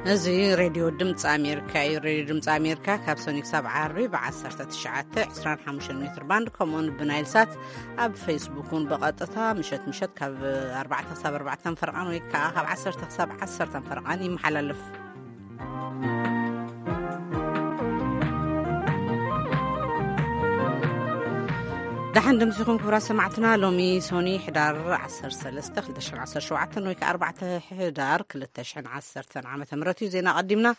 እዚ ሬድዮ ድምፂ ኣሜሪካ እዩ። ሬድዮ ድምፂ ኣሜሪካ ካብ ሰኒ ክሳብ ዓርቢ ብ19፣ 25 ሜትር ባንድ፣ ከምኡውን ብናይል ሳት፣ ኣብ ፌስቡክ እውን ብቐጥታ ምሸት ምሸት ካብ ኣርባዕተ ክሳብ ኣርባዕተ ፈርቓን ወይ ከዓ ካብ ዓሰርተ ክሳብ ዓሰርተ ፈርቓን ይመሓላለፍ። ደሓን ድምፂኹም ክቡራት ሰማዕትና። ሎሚ ሶኒ ሕዳር ዓሰርተ ሰለስተ ክልተ ሽሕን ዓሰርተ ሸውዓተን ወይ ከዓ ኣርባዕተ ሕዳር ክልተ ሽሕን ዓሰርተን ዓመተ ምህረት እዩ። ዜና ቀዲምና።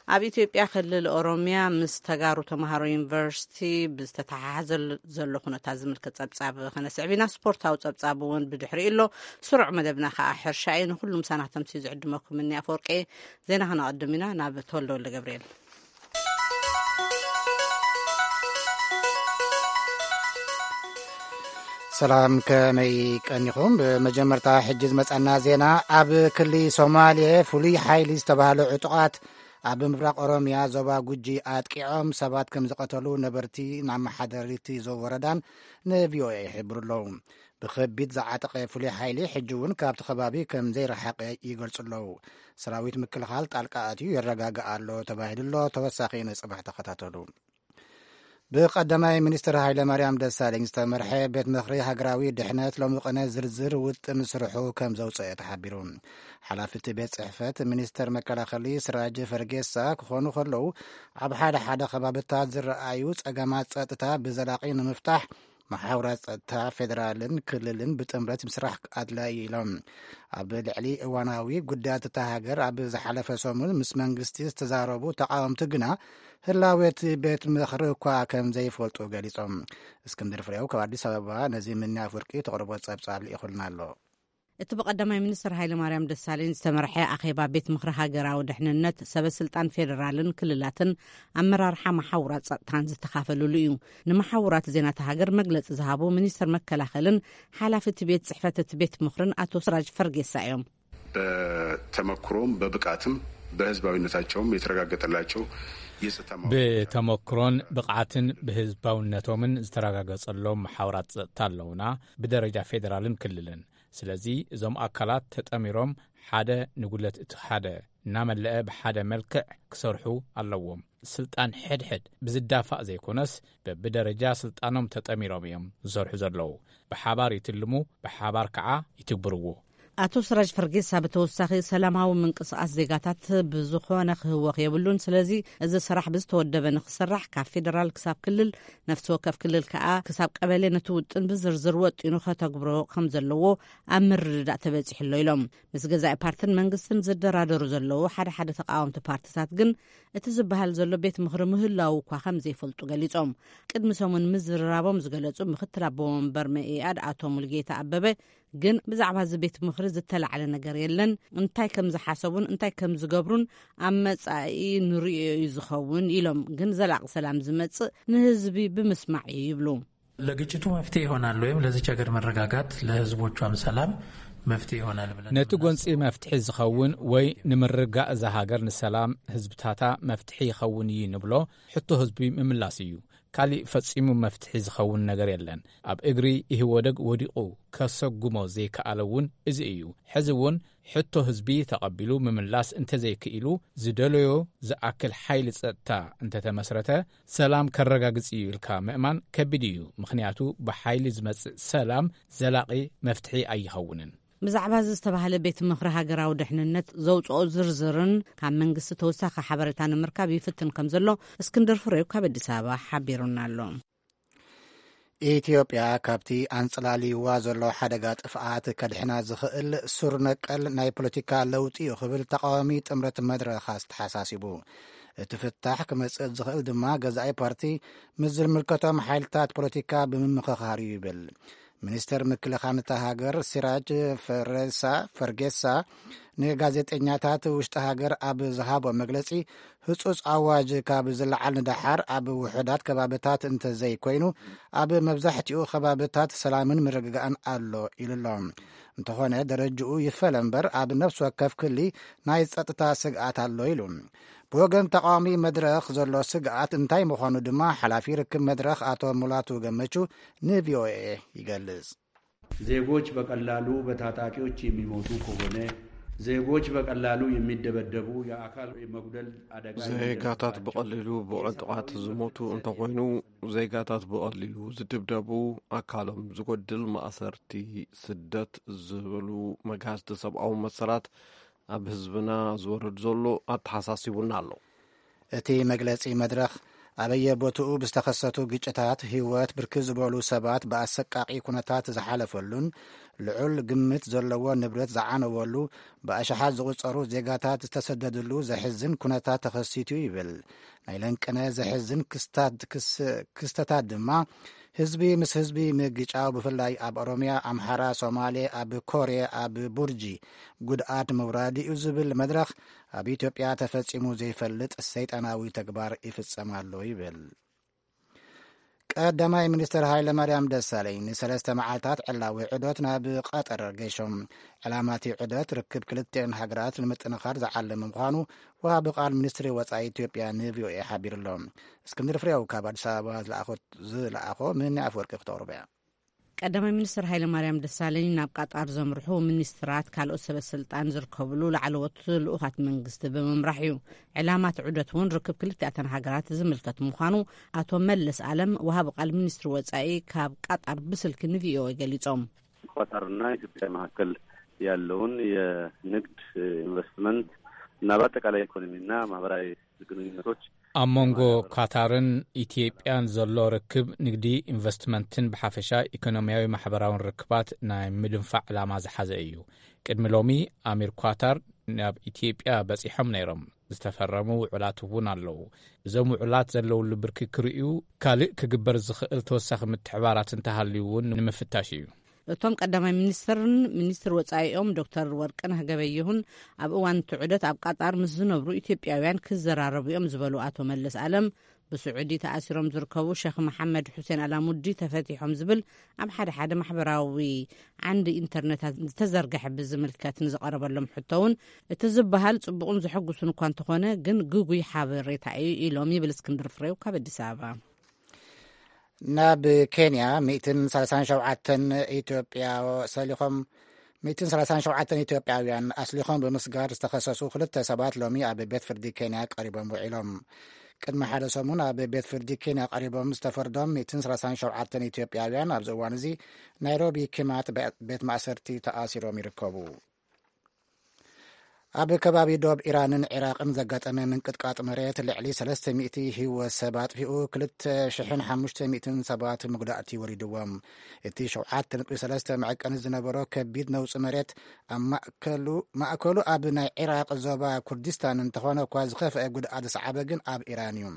ኣብ ኢትዮጵያ ክልል ኦሮሚያ ምስ ተጋሩ ተምሃሮ ዩኒቨርሲቲ ብዝተተሓሓዘ ዘሎ ኩነታት ዝምልከት ጸብጻብ ከነስዕብ ኢና። ስፖርታዊ ጸብጻብ እውን ብድሕሪኡ ኣሎ። ስሩዕ መደብና ከዓ ሕርሻ እዩ። ንኩሉ ምሳና ተምሲ ዝዕድመኩም እኒ ኣፈወርቂ። ዜና ከነቐድም ኢና። ናብ ተወልደ ወልደ ገብርኤል። ሰላም፣ ከመይ ቀኒኹም? ብመጀመርታ ሕጂ ዝመጸና ዜና፣ ኣብ ክሊ ሶማሌ ፍሉይ ሓይሊ ዝተባህሉ ዕጡቓት ኣብ ምብራቕ ኦሮሚያ ዞባ ጉጂ ኣጥቂዖም ሰባት ከም ዝቐተሉ ነበርቲ ናብ መሓደሪቲ ዞ ወረዳን ንቪኦኤ ይሕብሩ ኣለዉ። ብኸቢድ ዝዓጠቐ ፍሉይ ሓይሊ ሕጂ እውን ካብቲ ከባቢ ከም ዘይረሓቐ ይገልጹ ኣለዉ። ሰራዊት ምክልኻል ጣልቃ ኣትዩ የረጋግእ ኣሎ ተባሂሉ ኣሎ። ተወሳኺ ንጽባሕ ተኸታተሉ። ብቐዳማይ ሚኒስትር ሃይለ ማርያም ደሳለኝ ዝተመርሐ ቤት ምኽሪ ሃገራዊ ድሕነት ሎሚ ቅነ ዝርዝር ውጥን ስርሑ ከም ዘውፅአ ተሓቢሩ። ሓላፊ እቲ ቤት ጽሕፈት ሚኒስትር መከላኸሊ ስራጅ ፈርጌሳ ክኾኑ ከለዉ፣ ኣብ ሓደ ሓደ ከባብታት ዝረኣዩ ጸገማት ጸጥታ ብዘላቒ ንምፍታሕ መሓውራት ጸጥታ ፌደራልን ክልልን ብጥምረት ምስራሕ ኣድላዪ ኢሎም። ኣብ ልዕሊ እዋናዊ ጉዳያት እታ ሃገር ኣብ ዝሓለፈ ሰሙን ምስ መንግስቲ ዝተዛረቡ ተቃወምቲ ግና ህላዌ እቲ ቤት ምኽሪ እኳ ከም ዘይፈልጡ ገሊጾም። እስክንድር ፍሬው ካብ ኣዲስ ኣበባ ነዚ ምንያ ኣፍወርቂ ተቕርቦ ጸብጻብ ልኢኹልና ኣሎ። እቲ ብቐዳማይ ሚኒስትር ሃይለ ማርያም ደሳለኝ ዝተመርሐ ኣኼባ ቤት ምኽሪ ሃገራዊ ድሕንነት፣ ሰበ ስልጣን ፌዴራልን ክልላትን ኣመራርሓ መሓውራት ጸጥታን ዝተኻፈልሉ እዩ። ንመሓውራት ዜና እታ ሃገር መግለጺ ዝሃቡ ሚኒስትር መከላኸልን ሓላፊ እቲ ቤት ጽሕፈት እቲ ቤት ምኽርን ኣቶ ስራጅ ፈርጌሳ እዮም። በተመክሮም በብቃትም በህዝባዊነታቸውም የተረጋገጠላቸው የጸጥታ ማወቅ ብተመክሮን ብቕዓትን ብህዝባውነቶምን ዝተረጋገጸሎም መሓውራት ጸጥታ ኣለውና፣ ብደረጃ ፌዴራልን ክልልን። ስለዚ እዞም ኣካላት ተጠሚሮም ሓደ ንጉለት እቲ ሓደ እናመለአ ብሓደ መልክዕ ክሰርሑ ኣለዎም። ስልጣን ሕድሕድ ብዝዳፋእ ዘይኮነስ በብደረጃ ስልጣኖም ተጠሚሮም እዮም ዝሰርሑ ዘለዉ። ብሓባር ይትልሙ፣ ብሓባር ከዓ ይትግብርዎ። ኣቶ ስራጅ ፈርጌሳ ብተወሳኺ ሰላማዊ ምንቅስቃስ ዜጋታት ብዝኾነ ክህወኽ የብሉን። ስለዚ እዚ ስራሕ ብዝተወደበ ንክስራሕ ካብ ፌደራል ክሳብ ክልል፣ ነፍሲ ወከፍ ክልል ከዓ ክሳብ ቀበሌ ነቲ ውጥን ብዝርዝር ወጢኑ ከተግብሮ ከም ዘለዎ ኣብ ምርድዳእ ተበጺሑ ኣሎ ኢሎም። ምስ ገዛኢ ፓርትን መንግስትን ዝደራደሩ ዘለዉ ሓደ ሓደ ተቃወምቲ ፓርትታት ግን እቲ ዝበሃል ዘሎ ቤት ምኽሪ ምህላዉ እኳ ከም ዘይፈልጡ ገሊጾም። ቅድሚ ሰሙን ምዝርራቦም ዝገለጹ ምክትል ኣቦ ወንበር መኢኣድ ኣቶ ሙልጌታ ኣበበ ግን ብዛዕባ እዚ ቤት ምኽሪ ዝተላዕለ ነገር የለን፣ እንታይ ከም ዝሓሰቡን እንታይ ከም ዝገብሩን ኣብ መጻኢ ንርእዮ እዩ ዝኸውን ኢሎም። ግን ዘላቂ ሰላም ዝመጽእ ንህዝቢ ብምስማዕ እዩ ይብሉ። ለግጭቱ መፍትሄ ይሆናል ወይም ለዚች ሀገር መረጋጋት ለህዝቦቿም ሰላም መፍትሄ ይሆናል ብለን ነቲ ጎንፂ መፍትሒ ዝኸውን ወይ ንምርጋእ እዛ ሃገር ንሰላም ህዝብታታ መፍትሒ ይኸውን እዩ ንብሎ ሕቶ ህዝቢ ምምላስ እዩ። ካሊእ ፈጺሙ መፍትሒ ዝኸውን ነገር የለን። ኣብ እግሪ ኢህወደግ ወዲቑ ከሰጉሞ ዘይከኣለ እውን እዚ እዩ። ሕዚ እውን ሕቶ ህዝቢ ተቐቢሉ ምምላስ እንተዘይክኢሉ ዝደለዮ ዝኣክል ሓይሊ ጸጥታ እንተተመስረተ ሰላም ከረጋግጽ እዩ ኢልካ ምእማን ከቢድ እዩ። ምኽንያቱ ብሓይሊ ዝመጽእ ሰላም ዘላቒ መፍትሒ ኣይኸውንን። ብዛዕባ እዚ ዝተባህለ ቤት ምኽሪ ሃገራዊ ድሕንነት ዘውፅኦ ዝርዝርን ካብ መንግስቲ ተወሳኺ ሓበሬታ ንምርካብ ይፍትን ከም ዘሎ እስክንድር ፍሬው ካብ ኣዲስ ኣበባ ሓቢሩና ኣሎ። ኢትዮጵያ ካብቲ ኣንፅላልይዋ ዘሎ ሓደጋ ጥፍኣት ከድሕና ዝኽእል ሱር ነቀል ናይ ፖለቲካ ለውጢ እዩ ክብል ተቃዋሚ ጥምረት መድረኽ ኣስተሓሳሲቡ። እቲ ፍታሕ ክመፅእ ዝኽእል ድማ ገዛኢ ፓርቲ ምስ ዝምልከቶም ሓይልታት ፖለቲካ ብምምኽኻር እዩ ይብል። ሚኒስተር ምክልኻል እታ ሃገር ሲራጅ ፈረሳ ፈርጌሳ ንጋዜጠኛታት ውሽጢ ሃገር ኣብ ዝሃቦ መግለጺ፣ ህጹጽ ኣዋጅ ካብ ዝለዓል ንደሓር ኣብ ውሑዳት ከባብታት እንተዘይኮይኑ ኣብ መብዛሕትኡ ከባብታት ሰላምን ምርግጋእን ኣሎ ኢሉ ኣሎ። እንተኾነ ደረጅኡ ይፈለ እምበር ኣብ ነፍሲ ወከፍ ክሊ ናይ ጸጥታ ስግኣት ኣሎ ኢሉ። ብወገን ተቃዋሚ መድረኽ ዘሎ ስግኣት እንታይ ምዃኑ ድማ ሓላፊ ርክብ መድረኽ ኣቶ ሙላቱ ገመቹ ንቪኦኤ ይገልጽ። ዜጎች በቀላሉ በታጣቂዎች የሚሞቱ ከሆነ ዜጎች በቀላሉ የሚደበደቡ፣ የአካል መጉደል አደጋ ዜጋታት የሚደርስባቸው ብቐሊሉ ብዕጡቓት ዝሞቱ እንተኾይኑ፣ ዜጋታት ብቐሊሉ ዝድብደቡ፣ ኣካሎም ዝጎድል፣ ማእሰርቲ፣ ስደት ዝብሉ መግሃስቲ ሰብኣዊ መሰላት ኣብ ህዝብና ዝወርድ ዘሎ ኣተሓሳሲቡና ኣሎ። እቲ መግለጺ መድረኽ ኣበየቦትኡ ብዝተኸሰቱ ግጭታት ህይወት ብርክት ዝበሉ ሰባት ብኣሰቃቒ ኩነታት ዝሓለፈሉን ልዑል ግምት ዘለዎ ንብረት ዝዓነወሉ፣ ብኣሽሓት ዝቑጸሩ ዜጋታት ዝተሰደድሉ ዘሕዝን ኩነታት ተኸሲቱ ይብል። ናይ ለንቅነ ዘሕዝን ክስታት-፣ ክስ-፣ ክስተታት ድማ ህዝቢ ምስ ህዝቢ ምግጫው፣ ብፍላይ ኣብ ኦሮሚያ፣ ኣምሓራ፣ ሶማሌ፣ ኣብ ኮሬ፣ ኣብ ቡርጂ ጉድኣት ምውራድ እዩ ዝብል መድረኽ፣ ኣብ ኢትዮጵያ ተፈጺሙ ዘይፈልጥ ሰይጣናዊ ተግባር ይፍጸም ኣሎ ይብል። ቀዳማይ ሚኒስትር ሃይለ ማርያም ደሳለኝ ንሰለስተ መዓልታት ዕላዊ ዑደት ናብ ቀጠር ገይሾም። ዕላማ እቲ ዑደት ርክብ ክልቲአን ሃገራት ንምጥንኻር ዝዓለመ ምዃኑ ወሃቢ ቃል ሚኒስትሪ ወጻኢ ኢትዮጵያ ንቪኦኤ ሓቢሩ ኣሎ። እስክንድር ፍሬው ካብ ኣዲስ ኣበባ ዝለኣኾ፣ ዝለኣኾ ምን ኣፍወርቂ ክተቕርቦ እያ። ቀዳማይ ሚኒስትር ሃይለ ማርያም ደሳለኝ ናብ ቃጣር ዘምርሑ ሚኒስትራት፣ ካልኦት ሰበ ስልጣን ዝርከብሉ ላዕለዎት ልኡኻት መንግስቲ ብምምራሕ እዩ። ዕላማ እቲ ዑደት እውን ርክብ ክልቲኣተን ሃገራት ዝምልከት ምዃኑ ኣቶ መለስ ኣለም፣ ወሃቢ ቃል ሚኒስትሪ ወጻኢ፣ ካብ ቃጣር ብስልኪ ንቪኦኤ ገሊጾም። ኳታርና ኢትዮጵያ መካከል ያለውን የንግድ፣ ኢንቨስትመንት እና በአጠቃላይ ኢኮኖሚና ማህበራዊ ግንኙነቶች ኣብ መንጎ ኳታርን ኢትዮጵያን ዘሎ ርክብ፣ ንግዲ፣ ኢንቨስትመንትን ብሓፈሻ ኢኮኖሚያዊ ማሕበራውን ርክባት ናይ ምድንፋዕ ዕላማ ዝሓዘ እዩ። ቅድሚ ሎሚ ኣሚር ኳታር ናብ ኢትዮጵያ በጺሖም ነይሮም። ዝተፈረሙ ውዕላት እውን ኣለዉ። እዞም ውዕላት ዘለውሉ ብርኪ ክርእዩ፣ ካልእ ክግበር ዝኽእል ተወሳኺ ምትሕባራት እንተሃልዩ እውን ንምፍታሽ እዩ። እቶም ቀዳማይ ሚኒስትርን ሚኒስትር ወጻኢኦም ዶክተር ወርቅነህ ገበየሁን ኣብ እዋን እቲ ዑደት ኣብ ቃጣር ምስ ዝነብሩ ኢትዮጵያውያን ክዘራረቡ እዮም ዝበሉ ኣቶ መለስ ኣለም፣ ብስዑዲ ተኣሲሮም ዝርከቡ ሸኽ መሓመድ ሑሴን ኣላሙዲ ተፈቲሖም ዝብል ኣብ ሓደ ሓደ ማሕበራዊ ዓንዲ ኢንተርነታት ዝተዘርግሐ ብዝምልከት ንዝቐረበሎም ሕቶ እውን፣ እቲ ዝበሃል ጽቡቕን ዘሐጉስን እኳ እንተኾነ፣ ግን ግጉይ ሓበሬታ እዩ ኢሎም ይብል እስክንድር ፍሬው ካብ ኣዲስ ኣበባ። ናብ ኬንያ ሚእትን ሰላሳን ሸውዓተን ኢትዮጵያ ሰሊኾም፣ ሚእትን ሰላሳን ሸውዓተን ኢትዮጵያውያን ኣስሊኾም ብምስጋር ዝተኸሰሱ ክልተ ሰባት ሎሚ ኣብ ቤት ፍርዲ ኬንያ ቀሪቦም ውዒሎም። ቅድሚ ሓደ ሰሙን ኣብ ቤት ፍርዲ ኬንያ ቀሪቦም ዝተፈርዶም ሚእትን ሰላሳን ሸውዓተን ኢትዮጵያውያን ኣብዚ እዋን እዚ ናይሮቢ ኪማት ቤት ማእሰርቲ ተኣሲሮም ይርከቡ። ኣብ ከባቢ ዶብ ኢራንን ዒራቕን ዘጋጠመ ምንቅጥቃጥ መሬት ልዕሊ ሰለስተ ሚእቲ ህይወት ሰብ ኣጥፊኡ፣ ክልተ ሽሕን ሓሙሽተ ሚእትን ሰባት መጉዳእቲ ወሪድዎም። እቲ ሸውዓተ ነጥቢ ሰለስተ መዐቀኒ ዝነበሮ ከቢድ ነውጺ መሬት ኣብ ማእከሉ፣ ማእከሉ ኣብ ናይ ዒራቕ ዞባ ኩርዲስታን እንተኾነ እኳ፣ ዝኸፍአ ጉድኣት ዝሰዓበ ግን ኣብ ኢራን እዩ።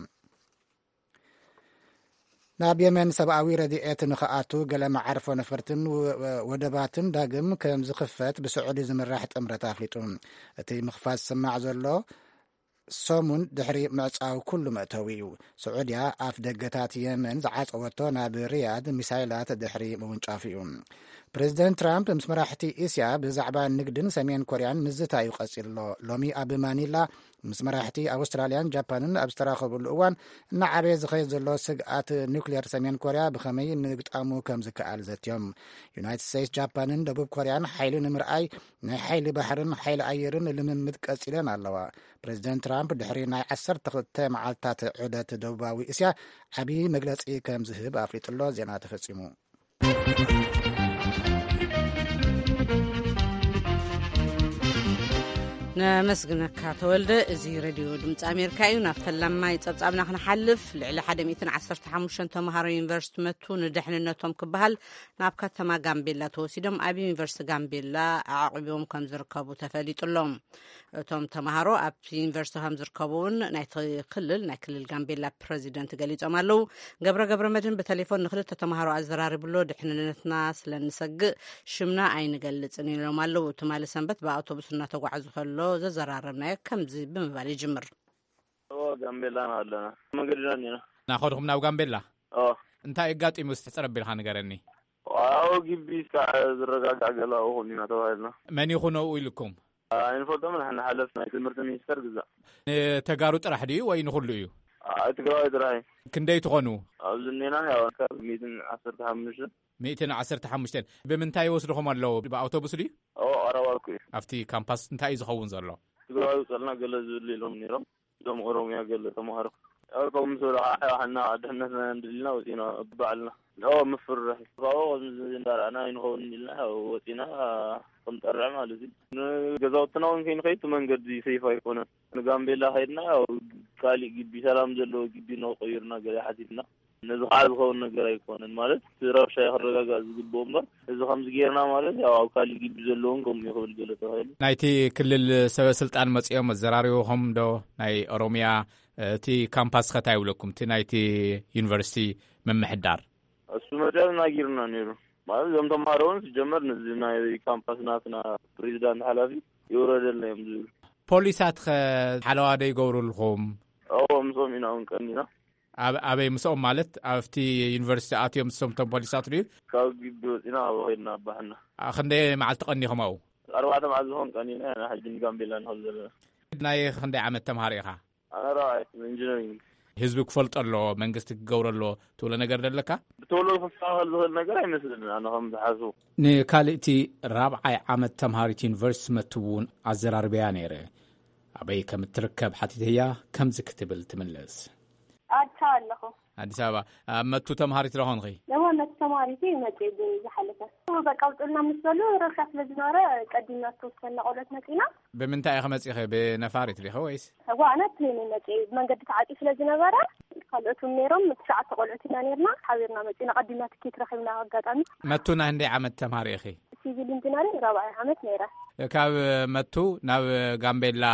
ናብ የመን ሰብኣዊ ረድኤት ንኽኣቱ ገለ መዓርፎ ነፈርትን ወ-፣ ወደባትን ዳግም ከም ዝኽፈት ብስዑዲ ዝምራሕ ጥምረት ኣፍሊጡ። እቲ ምኽፋት ዝስማዕ ዘሎ ሰሙን ድሕሪ ምዕጻው ኩሉ መእተዊ እዩ። ስዑድያ ኣፍ ደገታት የመን ዝዓጸወቶ ናብ ሪያድ ሚሳይላት ድሕሪ ምውንጫፉ እዩ። ፕሬዚደንት ትራምፕ ምስ መራሕቲ እስያ ብዛዕባ ንግድን ሰሜን ኮርያን ምዝታዩ ቀጺሉ ኣሎ። ሎሚ ኣብ ማኒላ ምስ መራሕቲ ኣውስትራልያን ጃፓንን ኣብ ዝተራኸብሉ እዋን፣ እናዓበየ ዝኸይድ ዘሎ ስግኣት ኒውክሌር ሰሜን ኮርያ ብኸመይ ምግጣሙ ከም ዝከኣል ዘትዮም። ዩናይትድ ስቴትስ፣ ጃፓንን ደቡብ ኮርያን ሓይሊ ንምርኣይ ናይ ሓይሊ ባሕርን ሓይሊ ኣየርን ልምምድ ቀጺለን ኣለዋ። ፕሬዚደንት ትራምፕ ድሕሪ ናይ ዓሰርተ ክልተ መዓልትታት ዑደት ደቡባዊ እስያ ዓብዪ መግለጺ ከም ዝህብ ኣፍሊጡሎ። ዜና ተፈጺሙ። ነመስግነካ ተወልደ። እዚ ሬድዮ ድምፂ ኣሜሪካ እዩ። ናብ ፈላማይ ጸብጻብና ክንሓልፍ፣ ልዕሊ ሓደ ሚእትን ዓሰርተ ሓሙሽተን ተምሃሮ ዩኒቨርሲቲ መቱ ንደሕንነቶም ክበሃል ናብ ከተማ ጋምቤላ ተወሲዶም ኣብ ዩኒቨርሲቲ ጋምቤላ ኣዕቂቦም ከም ዝርከቡ ተፈሊጡ ኣሎ። እቶም ተምሃሮ ኣብቲ ዩኒቨርሲቲ ከም ዝርከቡ እውን ናይቲ ክልል፣ ናይ ክልል ጋምቤላ ፕረዚደንት ገሊጾም ኣለዉ። ገብረ ገብረ መድህን ብቴሌፎን ንክልተ ተምሃሮ ኣዘራሪቡ ኣሎ። ድሕንነትና ስለ እንሰግእ ሽምና ኣይንገልጽን ኢሎም ኣለዉ። ትማሊ ሰንበት ብኣውቶቡስ እናተጓዕዙ ከሎ ዘዘራረብናዮ ከምዚ ብምባል ይጅምር። ኦ፣ ጋምቤላ ኢና ኣለና። መንገድና እኒና። ናኸድኹም ናብ ጋምቤላ? ኦ። እንታይ ኣጋጢሙ እስቲ ሕጽር ኣቢልካ ንገረኒ። ኣብ ግቢ እስካዕ ዝረጋጋዕ ገለ ኣብኡ ኾን ኢና ተባሂልና። መን ይኹን ኣብኡ ኢልኩም? ኣይንፈልጦም ንሕና ሓለፍቲ ናይ ትምህርቲ ሚኒስተር ግዛእ። ንተጋሩ ጥራሕ ድዩ ወይ ንኹሉ እዩ? ኣይ ትግራዋይ ጥራሕ እዩ። ክንደይ ትኾኑ? ኣብዚ እኒና ያው ካብ ሚእትን ዓሰርተ ሓሙሽተ። ሚእትን ዓሰርተ ሓሙሽተን። ብምንታይ ይወስድኹም ኣለዉ? ብኣውቶቡስ ድዩ? ኦ ኣራዋርኩ እዩ። ኣብቲ ካምፓስ እንታይ እዩ ዝኸውን ዘሎ? ትግራዊ ውፀልና ገለ ዝብል ኢሎም ነይሮም። እዞም ኦሮሚያ ገለ ተምሃሮ ኣርቆም ምስ በሉ ከዓ ሕና ድሕነትና ንድልና ወፂና ባዕልና። ኦ ምፍርራሕ ካብኡ ከምዚ እንዳረኣና ኣይንኸውን ኢልና ወፂና ክንጠርዕ ማለት እዩ። ንገዛውትና እውን ከይንኸይድ እቲ መንገዲ ሰይፍ ኣይኮነን። ንጋምቤላ ከይድና ያው ካሊእ ግቢ ሰላም ዘለዎ ግቢ ነው ቀይርና ገለ ሓቲትና። ነዚ ከዓ ዝኸውን ነገር ኣይኮነን ማለት እቲ ረብሻ ክረጋጋእ ዝግብኦ እምበር እዚ ከምዚ ጌርና ማለት ያው ኣብ ካሊእ ግቢ ዘለውን ከምኡ ይኽብል ገለ ተባሂሉ። ናይቲ ክልል ሰበ ስልጣን መጺኦም ኣዘራሪቦኹም ዶ? ናይ ኦሮሚያ እቲ ካምፓስ ኸ እንታይ ይብለኩም? እቲ ናይቲ ዩኒቨርሲቲ ምምሕዳር እሱ መፅያ ናጊርና ነይሩ ማለት እዞም ተምሃሮ እውን ሲጀመር ነዚ ናይ ካምፓስ ናትና ፕሬዚዳንት ሓላፊ ይውረደልና እዮም ዝብል። ፖሊሳት ኸ ሓለዋ ዶ ይገብሩልኩም? እዎ ምስኦም ኢና እውን ቀኒና። ኣብ ኣበይ ምስኦም ማለት ኣብቲ ዩኒቨርሲቲ ኣትዮም ምስቶም ቶም ፖሊሳት ድዩ? ካብ ግቢ ወፂና ኣብ ኸይድና ኣባሕና። ኣ፣ ክንደይ መዓልቲ ቀኒኹም ኣብኡ? ኣርባዕተ መዓልቲ ዝኾን ቀኒና ኢና ሕጂ ንጋምቤላ ንኸል ዘለና። ናይ ክንደይ ዓመት ተምሃሮ ኢኻ? ኣነ ራብዓይ ኢንጂነሪንግ። ህዝቢ ክፈልጦ ኣለዎ መንግስቲ ክገብሮ ኣለዎ ትብሎ ነገር ደለካ? ብቶሎ ክስተኻኸል ዝኽእል ነገር ኣይመስልን ኣነ ከም ዝሓስቡ። ንካልእቲ ራብዓይ ዓመት ተምሃሪት ዩኒቨርሲቲ መቱ እውን ኣዘራርበያ ነይረ። ኣበይ ከም እትርከብ ሓቲተያ ከምዚ ክትብል ትምልስ። ኣዲስ ኣበባ ኣለኹ። ኣዲስ ኣበባ። ኣብ መቱ ተምሃሪት ዶ ኾንኺ? እወ መቱ ተምሃሪት እየ መፅእ ዝሓለፈ። በቃ ውፅልና ምስ በሉ ረብሻ ስለ ዝነበረ ቀዲምና ዝተወሰነ ቆልዑት መፂና። ብምንታይ ኢኺ መፂኺ? ብነፋሪት ዲኺ ወይስ? እዋ ኣነ ፕሌን እየ መፅእ። መንገዲ ተዓፂ ስለ ዝነበረ ካልኦት እውን ነይሮም ትሽዓተ ቆልዑት ኢና ነይርና። ሓቢርና መፂና ቀዲምና ትኬት ረኺብና ኣጋጣሚ። መቱ ናይ ክንደይ ዓመት ተምሃሪ ኢኺ? ሲቪል ኢንጂነሪንግ ራብዓይ ዓመት ነይረ። ካብ መቱ ናብ ጋምቤላ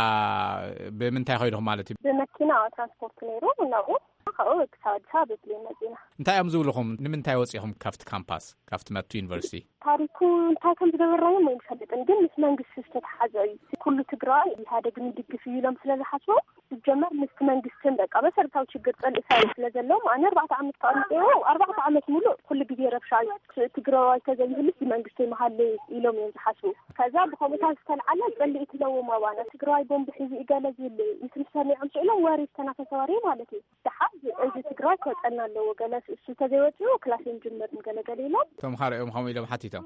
ብምንታይ ኮይድኹም ማለት እዩ? ብመኪና ትራንስፖርት ነይሩ ናብኡ ካብኡ ክሳብ ኣዲስ ኣበባ ብፕሌን መፂና። እንታይ እዮም ዝብልኹም? ንምንታይ ወፂኹም ካብቲ ካምፓስ ካብቲ መቱ ዩኒቨርሲቲ? ታሪኩ እንታይ ከም ዝገበርናዮም ኣይንፈልጥን ግን ምስ መንግስቲ ዝተተሓዘ እዩ። ኩሉ ትግራይ ኢህኣደግ ንድግፍ እዩ ኢሎም ስለ ዝሓስቡ ዝጀመር ምስቲ መንግስትን በቃ መሰረታዊ ችግር ፀልእሳይ ስለ ዘለዎም ኣነ ኣርባዕተ ዓመት ተቐሚጠ ኣርባዕተ ዓመት ሙሉእ ኩሉ ግዜ ረብሻ እዩ። ትግራዋይ ተዘይህሉስ መንግስቲ መሃለ ኢሎም እዮም ዝሓስቡ። ከዛ ብኸምኡታት ዝተልዓለ ጸልኢ ትለዎም ኣባና ትግራዋይ ቦምብ ሒዙ እዩ ገለ ዝብል ምስ ሰሚዖም ስኢሎም ወሬ ዝተናፈሰ ወሬ ማለት እዩ። ደሓር እዚ ትግራይ ክወፀልና ኣለዎ ገለ እሱ ተዘይወፅኡ ክላስ እዮም ጅምር ገለገለ ኢሎም። ተምሃሮ እዮም ከምኡ ኢሎም ሓቲቶም።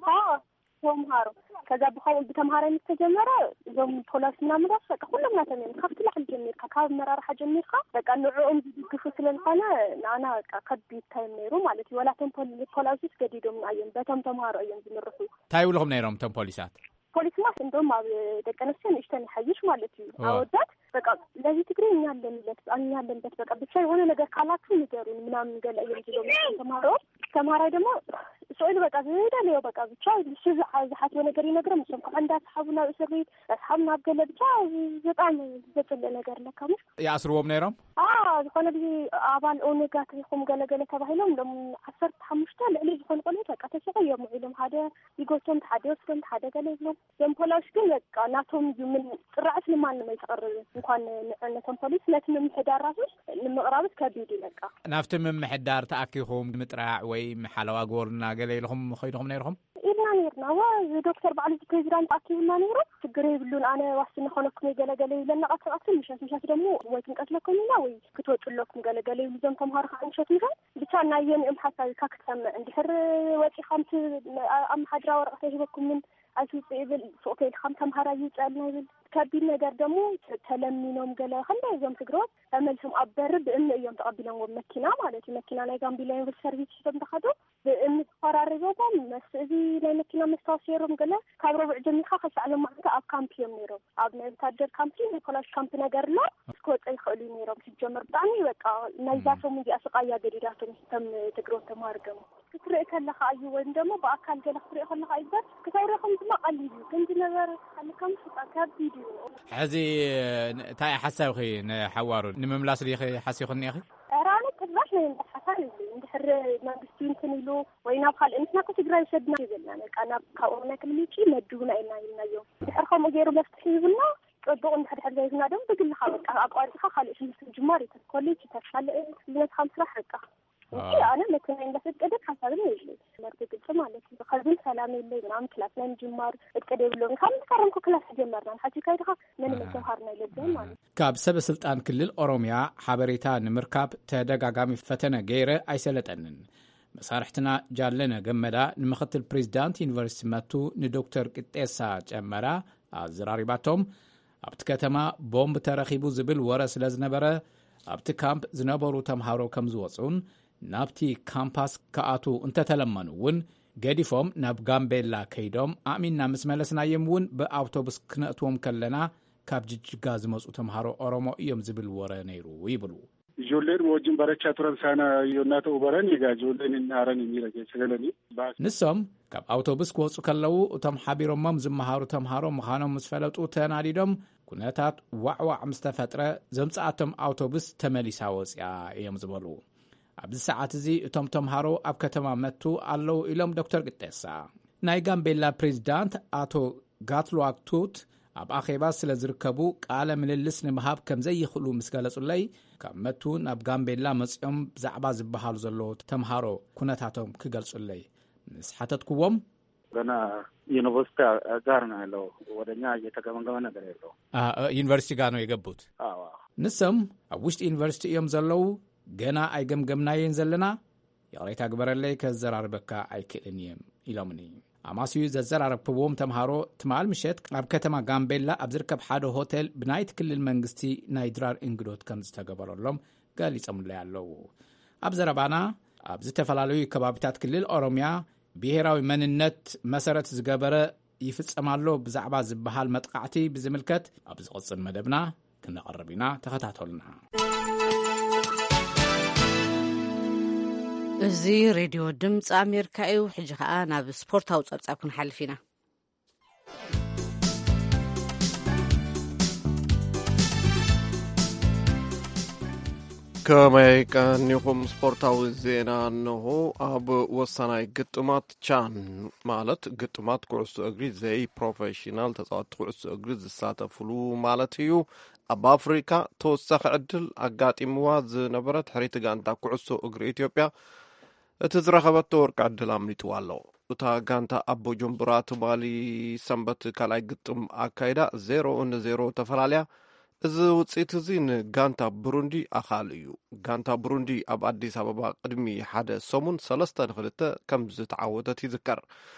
ተምሃሮ ከዛ ብኸምኡ ብተምሃራይ ምስ ተጀመረ እዞም ፖላስ ምናምን ራሱ በቃ ኩሎም ናቶም እዮም ካብቲ ላዕሊ ጀሚርካ ካብ መራርሓ ጀሚርካ በቃ ንዕኦም ዝድግፉ ስለዝኾነ ንኣና በቃ ከቢድ ታይም ነይሩ ማለት እዩ። ወላቶም ፖላሲስ ገዲዶም እዮም በቶም ተምሃሮ እዮም ዝምርሑ። እንታይ ይብልኹም ነይሮም እቶም ፖሊሳት? ፖሊስማ እንደውም ኣብ ደቂ ኣንስትዮ ንእሽተን ይሓይሽ ማለት እዩ። ኣወዳት በቃ ለዚ ትግርኛ አለንለት አለንበት በቃ ብቻ የሆነ ነገር ካላችሁ ንገሩን ምናምን ገለ እዮም ዝሎም ተማሮ። ተማራይ ደግሞ ስዕሉ በቃ ዝደለዮ በቃ ብቻ እሱ ዝሓስቦ ነገር ይነግሮም። እሶም ከዓ እንዳስሓቡ ናብ እስር ቤት እንዳስሓቡ ናብ ገለ ብቻ በጣም ዘፅለ ነገር ኣለካ። ሞ ይኣስርዎም ነይሮም? ዝኾነ ግዜ ኣባል ኦነጋት ኢኹም ገለገለ ተባሂሎም ሎም ዓሰርተ ሓሙሽተ ልዕሊ ዝኾኑ ቆልዑት በቃ ተሲቆ እዮም ውዒሎም። ሓደ ይጎቶም ሓደ ይወስዶም ሓደ ገለ ይብሎም። እዞም ፖላሽ ግን በቃ ናቶም እዩ ምን ጥራዕስ ንማንም ኣይተቐርብን። እንኳን ንዕነቶም ፖሊስ ነቲ ምምሕዳር ራሱ ንምቕራብስ ከቢድ እዩ በቃ። ናብቲ ምምሕዳር ተኣኪኹም ምጥራዕ ወይ ሓለዋ ግበሩና ገለ ኢልኹም ኸይድኹም ነይርኹም? ኢልና ነይርና። ዋ፣ እዚ ዶክተር ባዕሉ እዚ ፕሬዚዳንት ኣኪቡና ነይሩ። ችግር የብሉን፣ ኣነ ዋስትና ኾነኩም እየ ገለገለ ይብለና። ቀስ ቀስ ምሸት ምሸት ደግሞ ወይ ክንቀትለኩም ኢና ወይ ክትወጡ ኣለኩም ገለገለ ይብሉ። እዞም ተምሃሮ ከዓ ምሸት ምሸት ብቻ ናይ የንኦም ሓሳብ ኢልካ ክትሰምዕ። እንድሕር ወፂኻ ምት ኣመሓድራ ወረቐት ኣይህበኩምን ኣይትውፅእ ይብል። ሱቕ ተይልካ ተምሃራይ ይውፅኣልና ይብል። ከቢድ ነገር ደግሞ ተለሚኖም ገለ ክንደይ እዞም ትግረዎት ተመልሶም ኣብ በሪ ብእምኒ እዮም ተቐቢሎምዎም። መኪና ማለት እዩ። መኪና ናይ ጋምቤላ ዩኒቨርሲቲ ሰርቪስ ሒዞም ዝኸዱ ብእምኒ ተፈራሪቦም መስ-፣ እዚ ናይ መኪና መስታወት ሰይሮም ገለ ካብ ረቡዕ ጀሚርካ ክሳዕ ሎማዓንቲ ኣብ ካምፕ እዮም ነይሮም። ኣብ ናይ ወታደር ካምፕ ናይ ፖላሽ ካምፕ ነገር ኣሎ። ክወፀ ይኽእሉ እዩ ነይሮም። ሲጀመር ብጣዕሚ በቃ ናይዛ ሰሙን እዚኣ ስቓያ ገዲዳቶም ከም ትግረዎት ተምሃር ገሙ ክትርኢ ከለኻ እዩ ወይም ደግሞ ብኣካል ገለ ክትርኢ ከለኻ እዩ። በር ክተውርኹም ድማ ቀሊል እዩ ግን ዝነበረ ሓልካም ስቃ ከቢድ እዩ። ሕዚ እንታይ ሓሳብኺ ንሓዋሩ ንምምላስ ዲኺ ሓሲኹ እኒኢኺ? ኧረ ኣነ ጭራሽ ናይ ምምላስ ሓሳብ የብለይን። እንድሕር መንግስቲ እንትን ኢሉ ወይ ናብ ካልእ ንሕና እኮ ትግራይ ውሰድና ይብልና በቃ ናብ ካብ ኦሮሚያ ክልል ውጪ መድቡና ኢልና ኢልናዮም። እንድሕር ከምኡ ገይሩ መፍትሒ ይብልና ፅቡቕ፣ እንድሕር ድሕር ዘይብልና ደሞ ብግልኻ በቃ ኣቋሪፅካ ካልእ ትምህርቲ ምጅማር እዩ። ኮሌጅ ይተካልእ ቢዝነስኻ ምስራሕ በቃ። እንጂ ኣነ መኪና እንዳፈቀደ ሓሳብን የብለይ። ትምህርቲ ግልፂ ማለት እዩ። ከዚም ሰላም የለይ ምናምን ክላስ ናይ ምጅማር እቅድ የብሎም። ካብ ምስ ከረምኩ ክላስ ጀመርና። ንሓጂ ካይድኻ ምንም ተምሃርና የለብን ማለት እዩ። ካብ ሰበ ስልጣን ክልል ኦሮሚያ ሓበሬታ ንምርካብ ተደጋጋሚ ፈተነ ገይረ ኣይሰለጠንን። መሳርሕትና ጃለነ ገመዳ ንምኽትል ፕሬዚዳንት ዩኒቨርሲቲ መቱ ንዶክተር ቅጤሳ ጨመራ ኣዘራሪባቶም፣ ኣብቲ ከተማ ቦምብ ተረኺቡ ዝብል ወረ ስለ ዝነበረ፣ ኣብቲ ካምፕ ዝነበሩ ተምሃሮ ከም ዝወፁን ናብቲ ካምፓስ ክኣቱ እንተተለመኑ እውን ገዲፎም ናብ ጋምቤላ ከይዶም ኣእሚንና ምስ መለስናዮም እውን ብኣውቶቡስ ክነእትዎም ከለና ካብ ጅጅጋ ዝመፁ ተምሃሮ ኦሮሞ እዮም ዝብል ወረ ነይሩ ይብሉ። Ijoolleen wajjin barachaa turan saana yonnaa ta'u baran egaa ijoolleen hin aaran miira keessa galanii baas. ንሶም ካብ ኣውቶቡስ ክወፁ ከለዉ እቶም ሓቢሮሞም ዝመሃሩ ተምሃሮ ምዃኖም ምስ ፈለጡ ተናዲዶም ኩነታት ዋዕዋዕ ምስ ተፈጥረ ዘምፅኣቶም ኣውቶቡስ ተመሊሳ ወፅያ እዮም ዝበሉ። ኣብዚ ሰዓት እዚ እቶም ተምሃሮ ኣብ ከተማ መቱ ኣለዉ ኢሎም ዶክተር ቅጤሳ። ናይ ጋምቤላ ፕሬዚዳንት ኣቶ ጋትሉዋክ ቱት ኣብ ኣኼባ ስለ ዝርከቡ ቃለ ምልልስ ንምሃብ ከም ዘይኽእሉ ምስ ገለጹለይ፣ ካብ መቱ ናብ ጋምቤላ መጺኦም ብዛዕባ ዝበሃሉ ዘለዉ ተምሃሮ ኩነታቶም ክገልጹለይ ምስ ሓተትኩዎም፣ ገና ዩኒቨርሲቲ ጋር ነው ያለው። ወደኛ እየተገመገመ ነገር የለው። ዩኒቨርሲቲ ጋር ነው የገቡት። ንሶም ኣብ ውሽጢ ዩኒቨርሲቲ እዮም ዘለዉ። ገና ኣይገምገምናየን ዘለና። ይቕሬታ ግበረለይ፣ ከዘራርበካ ኣይክእልን እየ ኢሎምኒ። ኣማስዩ ዘዘራረብክዎም ተምሃሮ ትማል ምሸት ኣብ ከተማ ጋምቤላ ኣብ ዝርከብ ሓደ ሆቴል ብናይቲ ክልል መንግስቲ ናይ ድራር እንግዶት ከም ዝተገበረሎም ገሊጾምለይ ኣለዉ። ኣብ ዘረባና ኣብ ዝተፈላለዩ ከባቢታት ክልል ኦሮምያ ብሄራዊ መንነት መሰረት ዝገበረ ይፍጸም ኣሎ ብዛዕባ ዝበሃል መጥቓዕቲ ብዝምልከት ኣብ ዝቕጽል መደብና ክነቕርብ ኢና። ተኸታተሉና። እዚ ሬድዮ ድምፂ ኣሜሪካ እዩ። ሕጂ ኸዓ ናብ ስፖርታዊ ፀብፃብ ክንሓልፍ ኢና። ከመይ ቀኒኹም? ስፖርታዊ ዜና እንሆ። ኣብ ወሳናይ ግጥማት ቻን፣ ማለት ግጥማት ኩዕሶ እግሪ ዘይ ፕሮፌሽናል ተጻወትቲ ኩዕሶ እግሪ ዝሳተፍሉ ማለት እዩ፣ ኣብ ኣፍሪካ ተወሳኺ ዕድል ኣጋጢምዋ ዝነበረት ሕሪቲ ጋንታ ኩዕሶ እግሪ ኢትዮጵያ እቲ ዝረኸበቶ ወርቂ ዕድል ኣምሊጥዋ ኣሎ። እታ ጋንታ ኣብ ቦጆምቡራ ትማሊ ሰንበት ካልኣይ ግጥም ኣካይዳ ዜሮ ንዜሮ ተፈላልያ። እዚ ውፅኢት እዚ ንጋንታ ብሩንዲ ኣኻሊ እዩ። ጋንታ ብሩንዲ ኣብ ኣዲስ ኣበባ ቅድሚ ሓደ ሰሙን ሰለስተ ንክልተ ከም ዝተዓወተት ይዝከር።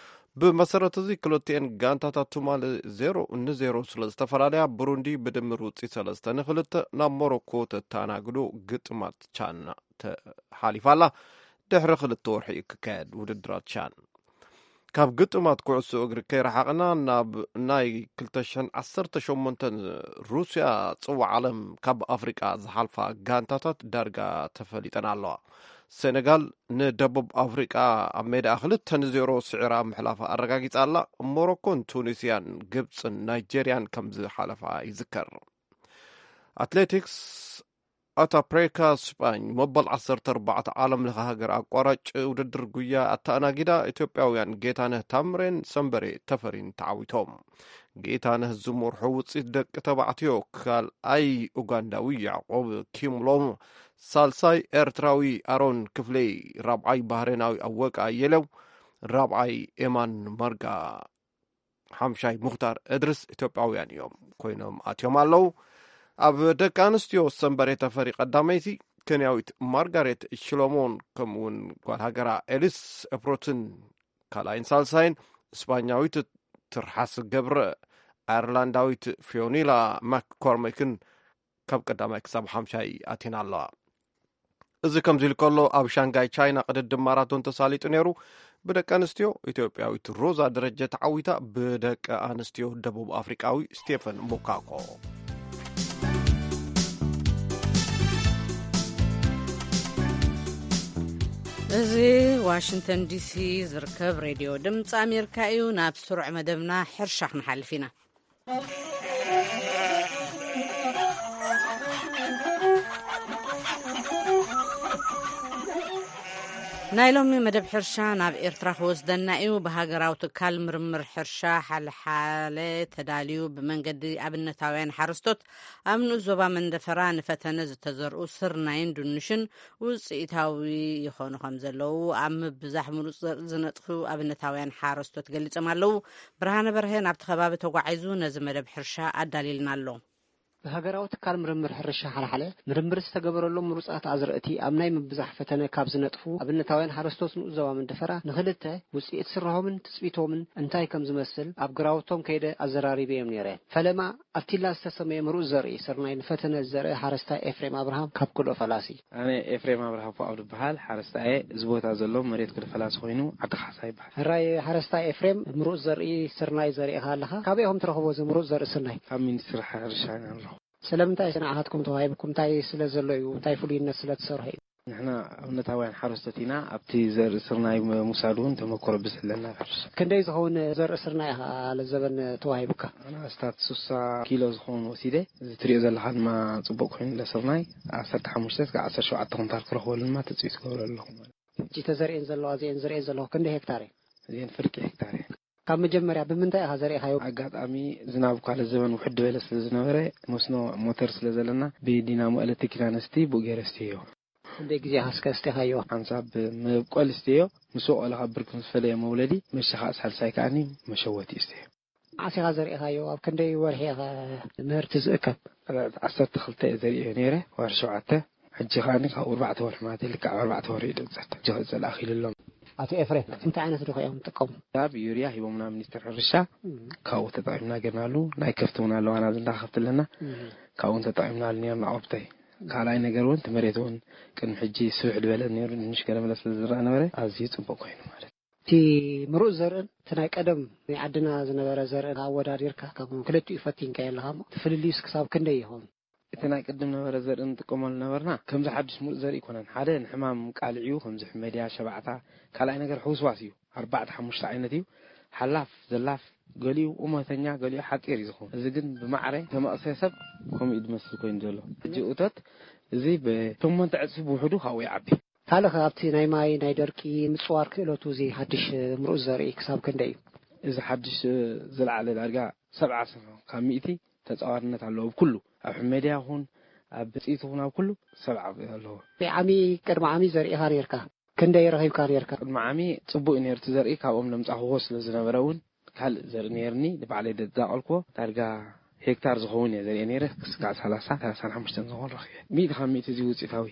ብመሰረት እዚ ክልቲኤን ጋንታታት ትማሊ ዜሮ ንዜሮ ስለ ዝተፈላለያ ብሩንዲ ብድምር ውፅኢት ሰለስተ ንክልተ ናብ ሞሮኮ ተተኣናግዶ ግጥማት ቻን ተሓሊፋ ኣላ። ድሕሪ ክልተ ወርሒ ክካየድ ውድድራት ቻን። ካብ ግጥማት ኩዕሶ እግሪ ከይረሓቕና ናብ ናይ ክልተ ሽሕን ዓሰርተ ሸሞንተን ሩስያ ፅዋዕ ዓለም ካብ ኣፍሪቃ ዝሓልፋ ጋንታታት ዳርጋ ተፈሊጠን ኣለዋ። ሴኔጋል ንደቡብ ኣፍሪቃ ኣብ ሜዳ ክልተ ንዜሮ ስዒራ ምሕላፋ ኣረጋጊጻ ኣላ። ሞሮኮን ቱኒስያን ግብፅን ናይጄርያን ከም ዝሓለፋ ይዝከር። ኣትሌቲክስ ኣታ ፕሬካ ስጳኝ መበል ዓሰርተ ኣርባዕተ ዓለም ለኸ ሃገር ኣቋራጭ ውድድር ጉያ ኣተኣናጊዳ ኢትዮጵያውያን ጌታነህ ታምሬን ሰንበሬ ተፈሪን ተዓዊቶም። ጌታነህ ዝመርሖ ውፅኢት ደቂ ተባዕትዮ ካልኣይ ኡጋንዳዊ ያዕቆብ ኪምሎም፣ ሳልሳይ ኤርትራዊ ኣሮን ክፍሌ፣ ራብዓይ ባህሬናዊ ኣወቃ ኣየለው፣ ራብዓይ ኤማን ማርጋ ሓምሻይ ሙኽታር እድርስ ኢትዮጵያውያን እዮም ኮይኖም ኣትዮም ኣለዉ። ኣብ ደቂ ኣንስትዮ ሰንበሬ ተፈሪ ቀዳመይቲ፣ ኬንያዊት ማርጋሬት ሽሎሞን ከምኡውን ጓል ሃገራ ኤሊስ ኤፕሮትን ካልኣይን ሳልሳይን፣ እስጳኛዊት ትርሓስ ገብረ፣ ኣየርላንዳዊት ፊዮኒላ ማክኮርሚክን ካብ ቀዳማይ ክሳብ ሓምሻይ ኣቲና ኣለዋ። እዚ ከምዚ ኢሉ ከሎ ኣብ ሻንጋይ ቻይና ቅድድም ማራቶን ተሳሊጡ ነይሩ። ብደቂ ኣንስትዮ ኢትዮጵያዊት ሮዛ ደረጀ ተዓዊታ፣ ብደቂ ኣንስትዮ ደቡብ ኣፍሪቃዊ ስቴፈን ሙካኮ። እዚ ዋሽንግተን ዲሲ ዝርከብ ሬድዮ ድምፂ ኣሜሪካ እዩ። ናብ ስሩዕ መደብና ሕርሻ ክንሓልፍ ኢና። ናይ ሎሚ መደብ ሕርሻ ናብ ኤርትራ ክወስደና እዩ። ብሃገራዊ ትካል ምርምር ሕርሻ ሓልሓለ ተዳልዩ ብመንገዲ ኣብነታውያን ሓረስቶት ኣብ ንኡስ ዞባ መንደፈራ ንፈተነ ዝተዘርኡ ስርናይን ድንሽን ውፅኢታዊ ይኾኑ ከም ዘለዉ ኣብ ምብዛሕ ምሩፅ ዘርኢ ዝነጥፉ ኣብነታውያን ሓረስቶት ገሊጾም ኣለዉ። ብርሃነ በርሀ ናብቲ ከባቢ ተጓዒዙ ነዚ መደብ ሕርሻ ኣዳሊልና ኣሎ። ብሃገራዊ ትካል ምርምር ሕርሻ ሓልሓለ ምርምር ዝተገበረሎም ምሩጻት ኣዝርእቲ ኣብ ናይ ምብዛሕ ፈተነ ካብ ዝነጥፉ ኣብነታውያን ሓረስቶት ንኡስ ዞባ መንደፈራ ንኽልተ ውጽኢት ስራሆምን ትጽቢቶምን እንታይ ከም ዝመስል ኣብ ግራውቶም ከይደ ኣዘራሪበዮም ነይረ። ፈለማ ኣብቲላ ዝተሰመየ ምሩጽ ዘርኢ ስርናይ ንፈተነ ዝዘርእ ሓረስታይ ኤፍሬም ኣብርሃም ካብ ክልኦ ፈላሲ። ኣነ ኤፍሬም ኣብርሃ ፎኣብ ዝበሃል ሓረስታይ እየ። እዚ ቦታ ዘሎ መሬት ክልተ ፈላሲ ኮይኑ ዓዲ ካሕሳ ይበሃል። ሕራይ ሓረስታይ ኤፍሬም፣ ምሩጽ ዘርኢ ስርናይ ዘሪእኻ ኣለኻ። ካበይ ኢኹም ትረኽቦ እዚ ምሩጽ ዘርኢ ስርናይ? ካብ ሚኒስትሪ ሕርሻ ኢና ንረኽቦ። ስለምንታይ ንዓኻትኩም ተዋሂብኩም? እንታይ ስለ ዘሎ እዩ? እንታይ ፍሉይነት ስለ ትሰርሑ እዩ? ንሕና ኣብነታውያን ሓረስቶት ኢና። ኣብቲ ዘርኢ ስርናይ ምውሳድ እውን ተመክሮ ብዝሕለና ሕርሻ። ክንደይ ዝኸውን ዘርኢ ስርናይ ኢኻ ለዘበን ተዋሂቡካ? ኣነ ኣስታት ስሳ ኪሎ ዝኸውን ወሲደ። እዚ ትሪኦ ዘለኻ ድማ ጽቡቕ ኮይኑ ለስርናይ ዓሰርተ ሓሙሽተ እስካብ ዓሰርተ ሸውዓተ ኩንታል ክረኽበሉ ድማ ትጽቢት ክገብረ ኣለኹ። ሕጂ ተዘርእን ዘለዋ እዚአን ዝርእን ዘለኹ ክንደይ ሄክታር እዩ? እዚአን ፍርቂ ሄክታር እየን። ካብ መጀመርያ ብምንታይ ኢኻ ዘሪእኻዮ? ኣጋጣሚ ዝናብ እኳ ለዘበን ውሕድ ዝበለ ስለ ዝነበረ መስኖ ሞተር ስለ ዘለና ብዲናሞ ኤሌክትሪክ ኢና ነስቲ ብኡ ገይረ እስትዮ። ክንደይ ግዜ ኢኻ እስከ ኣስቲኻዮ? ሓንሳብ መብቆል እስትዮ ምስ ወቀለ ካብ ብርክ ምስ ፈለየ መውለዲ መሸኻ ሳልሳይ ከኣኒ መሸወቲ እስትዮ። ዓሲኻ ዘሪእኻዮ ኣብ ክንደይ ወርሒ ኢኻ ምህርቲ ዝእከብ? ዓሰርተ ክልተ እየ ዘሪእዮ ነይረ፣ ወርሒ ሸውዓተ። ሕጂ ከኣኒ ካብ ኣርባዕተ ወርሒ ማለት እዩ፣ ልክዕ ኣብ ኣርባዕተ ወርሒ እዩ ድቕጸል። ሕጂ ክቕጸል ኣኺሉ ኣሎ። ኣቶ ኤፍሬም፣ እንታይ ዓይነት ዶ እዮም ዝጥቀሙ? ካብ ዩርያ ሂቦምና ሚኒስትር ሕርሻ፣ እም። ካብኡ ተጠቒምና ገርናሉ። ናይ ከፍቲ እውን ኣለዋና፣ ዝንዳ ከፍቲ ኣለና። እም። ካብኡ እውን ተጠቒምናሉ ነርና። ኣብተይ ካልኣይ ነገር እውን እቲ መሬት እውን ቅድሚ ሕጂ ስብሕ ዝበለ ነይሩ፣ ድንሽ ገለመለ ስለ ዝረኣ ነበረ፣ ኣዝዩ ጽቡቕ ኮይኑ ማለት እዩ። እቲ ምሩእ ዘርእን እቲ ናይ ቀደም ናይ ዓድና ዝነበረ ዘርእን ኣወዳዲርካ፣ ካብ ክልቲኡ ፈቲንካዮ ኣለኻ እሞ፣ እቲ ፍልልዩስ ክሳብ ክንደይ ይኸውን? እቲ ናይ ቅድም ነበረ ዘርኢ ንጥቀመሉ ነበርና፣ ከምዚ ሓድሽ ምሩጽ ዘርኢ ኣይኮነን። ሓደ ንሕማም ቃልዕ እዩ፣ ከምዚ ሕመድያ፣ ሸባዕታ። ካልኣይ ነገር ሕውስዋስ እዩ፣ ኣርባዕተ ሓሙሽተ ዓይነት እዩ። ሓላፍ፣ ዘላፍ፣ ገሊኡ ቁመተኛ፣ ገሊኡ ሓጺር እዩ ዝኸውን። እዚ ግን ብማዕረ ተመቕሰ ሰብ ከምኡ እዩ ዝመስል ኮይኑ ዘሎ። ሕጂ እቶት እዚ ብሸሞንተ ዕጽፊ ብውሕዱ ካብኡ ይዓቢ። ካልእ ከ ኣብቲ ናይ ማይ፣ ናይ ደርቂ ምጽዋር ክእለቱ እዚ ሓድሽ ምሩጽ ዘርኢ ክሳብ ክንደይ እዩ? እዚ ሓድሽ ዝለዓለ ዳርጋ ሰብዓ ካብ ሚእቲ ተጻዋርነት ኣለዎ። ኣብ ኩሉ፣ ኣብ ሕመድያ ይኹን፣ ኣብ ብጽኢት ይኹን፣ ኣብ ኩሉ ሰብዓ ኣለዎ። ዓሚ፣ ቅድሚ ዓሚ ዘሪእኻ ነይርካ? ክንደይ ረኺብካ ነይርካ? ቅድሚ ዓሚ ጽቡቕ እዩ ነይሩ እቲ ዘርኢ፣ ካብኦም ለምጻኽዎ ስለ ዝነበረ እውን ካልእ ዘርኢ ነይርኒ፣ ንባዕለይ ደዳቐልክዎ ዳርጋ ሄክታር ዝኸውን እየ ዘሪኤ ነይረ። ክስካዕ ሰላሳ፣ ሰላሳን ሓሙሽተን ዝኸውን ረኺበ። ሚእቲ ካብ ሚእቲ እዚ ውጽኢታዊ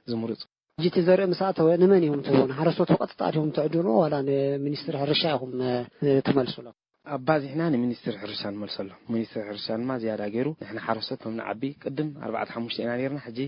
ዝምሩጽ። ሕጂ እቲ ዘርኢ ምስ ኣተወ ንመን ኢኹም ትህብዎ? ንሓረስቶት ብቐጥታ ዲኹም ትዕድግዎ ዋላ ንሚኒስትሪ ሕርሻ ኢኹም፣ እ፣ ትመልስሎም? ኣባዚሕና ንሚኒስትሪ ሕርሻ ንመልሰሎም። ሚኒስትሪ ሕርሻ ድማ ዝያዳ ገይሩ ንሕና ሓረስቶት ከም ንዓቢ ቅድም ኣርባዕተ ሓሙሽተ ኢና ነይርና፣ ሕጂ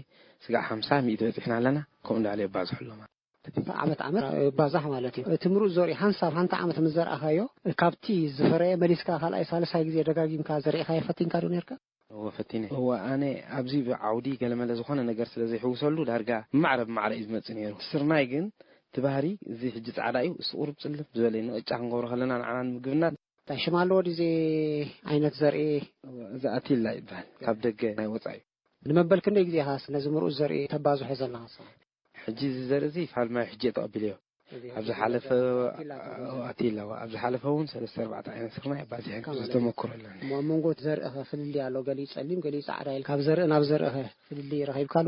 ስጋዕ ሓምሳ ሚእቲ በጺሕና ኣለና። ከምኡ እንዳበለ የባዝሑ ኣለዉ ማለት እዩ። ዓመት ዓመት ይባዛሕ ማለት እዩ። እቲ ምሩጽ ዘርኢ ሓንሳብ ሓንቲ ዓመት ምስ ዘርኣኻዮ፣ ካብቲ ዝፈረየ መሊስካ ካልኣይ ሳልሳይ ግዜ ደጋጊምካ ዘሪእኻዮ ፈቲንካ ዶ ነይርካ? እወ ፈቲነ። እወ ኣነ ኣብዚ ብዓውዲ ገለመለ ዝኾነ ነገር ስለ ዘይሕውሰሉ ዳርጋ ብማዕረ ብማዕረ እዩ ዝመጽእ ነይሩ። ስርናይ ግን እቲ ባህሪ እዚ ሕጂ ጻዕዳ እዩ፣ እሱ ቁሩብ ጽልም ዝበለ እዩ። ንቅጫ ክንገብሮ ከለና ንዓና ንምግብና። እንታይ ሽም ኣለዎ ድዚ ዓይነት ዘርኢ? እወ፣ እዚ ኣቲላ ይበሃል። ካብ ደገ ናይ ወጻኢ እዩ። ንመበል ክንደይ ግዜ ኢኻ ነዚ ምሩጽ ዘርኢ ተባዝሖ ዘለኻ ንስኻ? ሕጂ እዚ ዘርኢ እዚ ፋልማይ ሕጂ እየ ተቐቢለዮ። እዚ ኣብ ዝሓለፈ ኣቲላ ትብሎ። ኣቲላ፣ ኣብ ዝሓለፈ እውን ሰለስተ ኣርባዕተ ዓይነት ስርናይ ኣባዚሐ ከም ዝተመክሮ ኣለኒ። እሞ ኣብ መንጎ እቲ ዘርኢ ኸ ፍልልይ ኣሎ? ገሊኡ ጸሊም፣ ገሊኡ ጻዕዳ ኢልካ። ካብ ዘርኢ ናብ ዘርኢ ኸ ፍልልይ ረኺብካሉ?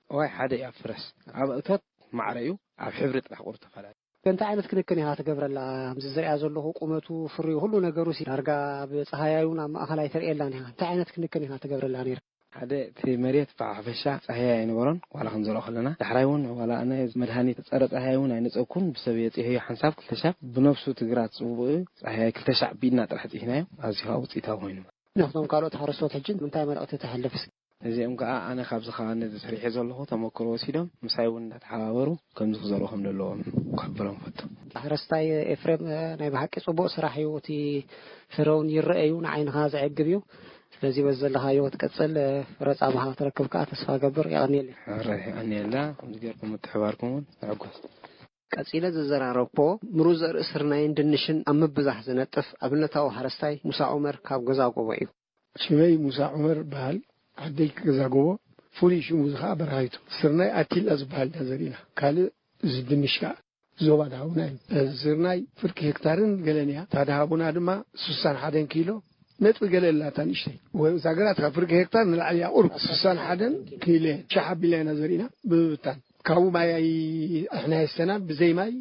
እዋይ፣ ሓደ እዩ ኣብ ፍረስ። ኣብ እቶት ማዕረ እዩ፣ ኣብ ሕብሪ ጥራሕ ቁሩብ ተፈላለዩ። እንታይ ዓይነት ክንክን ኢኻ ትገብረላ? ከምዚ ዝሪኣ ዘለኹ ቁመቱ፣ ፍርዩ፣ ኩሉ ነገሩ ሲ ዳርጋ ኣብ ጸሃያይ እውን ኣብ ማእኸል ኣይተርእየላን ኢኻ። እንታይ ዓይነት ክንክን ኢኻ ትገብረላ ነይርካ? ሓደ እቲ መሬት ብሓፈሻ ጻህያይ ኣይነበሮን፣ ዋላ ክንዘርኦ ከለና። ዳሕራይ እውን ዋላ ኣነ መድሃኒት ጸረ ጻህያይ እውን ኣይነጸግኩን፣ ብሰብ የጽህዮ ሓንሳብ ክልተ ሻብ፣ ብነብሱ እቲ ግራት ጽውብኡ ጻህያይ ክልተ ሻዕ ብኢድና ጥራሕ ጺህናዮ፣ ኣዝዩ ከዓ ውጽኢታዊ ኮይኑ። ነቶም ካልኦት ሓረስቶት ሕጂ እንታይ መልእኽቲ ተሕልፍ እስኪ? ነዚኦም ከዓ ኣነ ካብዚ ከባቢ ነዚ ሰሪሐ ዘለኹ ተመክሮ ወሲዶም ምሳይ እውን እንዳተሓባበሩ ከምዚ ክዘርኡ ከም ዘለዎም ክሕብሮም ፈቱ። ሓረስታይ ኤፍሬም፣ ናይ ብሓቂ ጽቡቕ ስራሕ እዩ። እቲ ፍረ እውን ይረአ እዩ፣ ንዓይንኻ ዘዕግብ እዩ። ስለዚ በዚ ዘለኻዮ ክትቅጽል፣ ፍረ ጻማኻ ክትረክብ ከዓ ተስፋ ገብር። የቐንየለይ። ሕራይ የቐንየልና። ከምዚ ጌርኩም ምትሕባርኩም እውን ንዕጎስ። ቀጺለ ዘዘራረብኮ ምሩጽ ዘርኢ ስርናይን ድንሽን ኣብ ምብዛሕ ዝነጥፍ ኣብነታዊ ሓረስታይ ሙሳ ዑመር ካብ ገዛ ጎቦ እዩ። ሽመይ ሙሳ ዑመር በሃል። ዓደይ ገዛ ጎቦ። ፍሉይ ሽሙ እዚ ኸዓ በረሃይቱ። ስርናይ ኣቲላ ዝበሃል ኢና ዘሪእና። ካልእ እዚ ድንሽ ከኣ ዞባ ደሃቡና እዩ። እዚ ስርናይ ፍርቂ ሄክታርን ገለን እያ። እታ ደሃቡና ድማ ስሳን ሓደን ኪሎ ነጥቢ ገለ ኣላታ ንእሽተይ። ወይ እዛ ግራት ካብ ፍርቂ ሄክታር ንላዕሊ እያ ቁሩብ። ስሳን ሓደን ኪሎ እያ። ሸሕ ኣቢልና ኢና ዘሪእና ብምብታን። ካብኡ ማይ ኣይ-፣ ኣሕና የስተና ብዘይ ማይ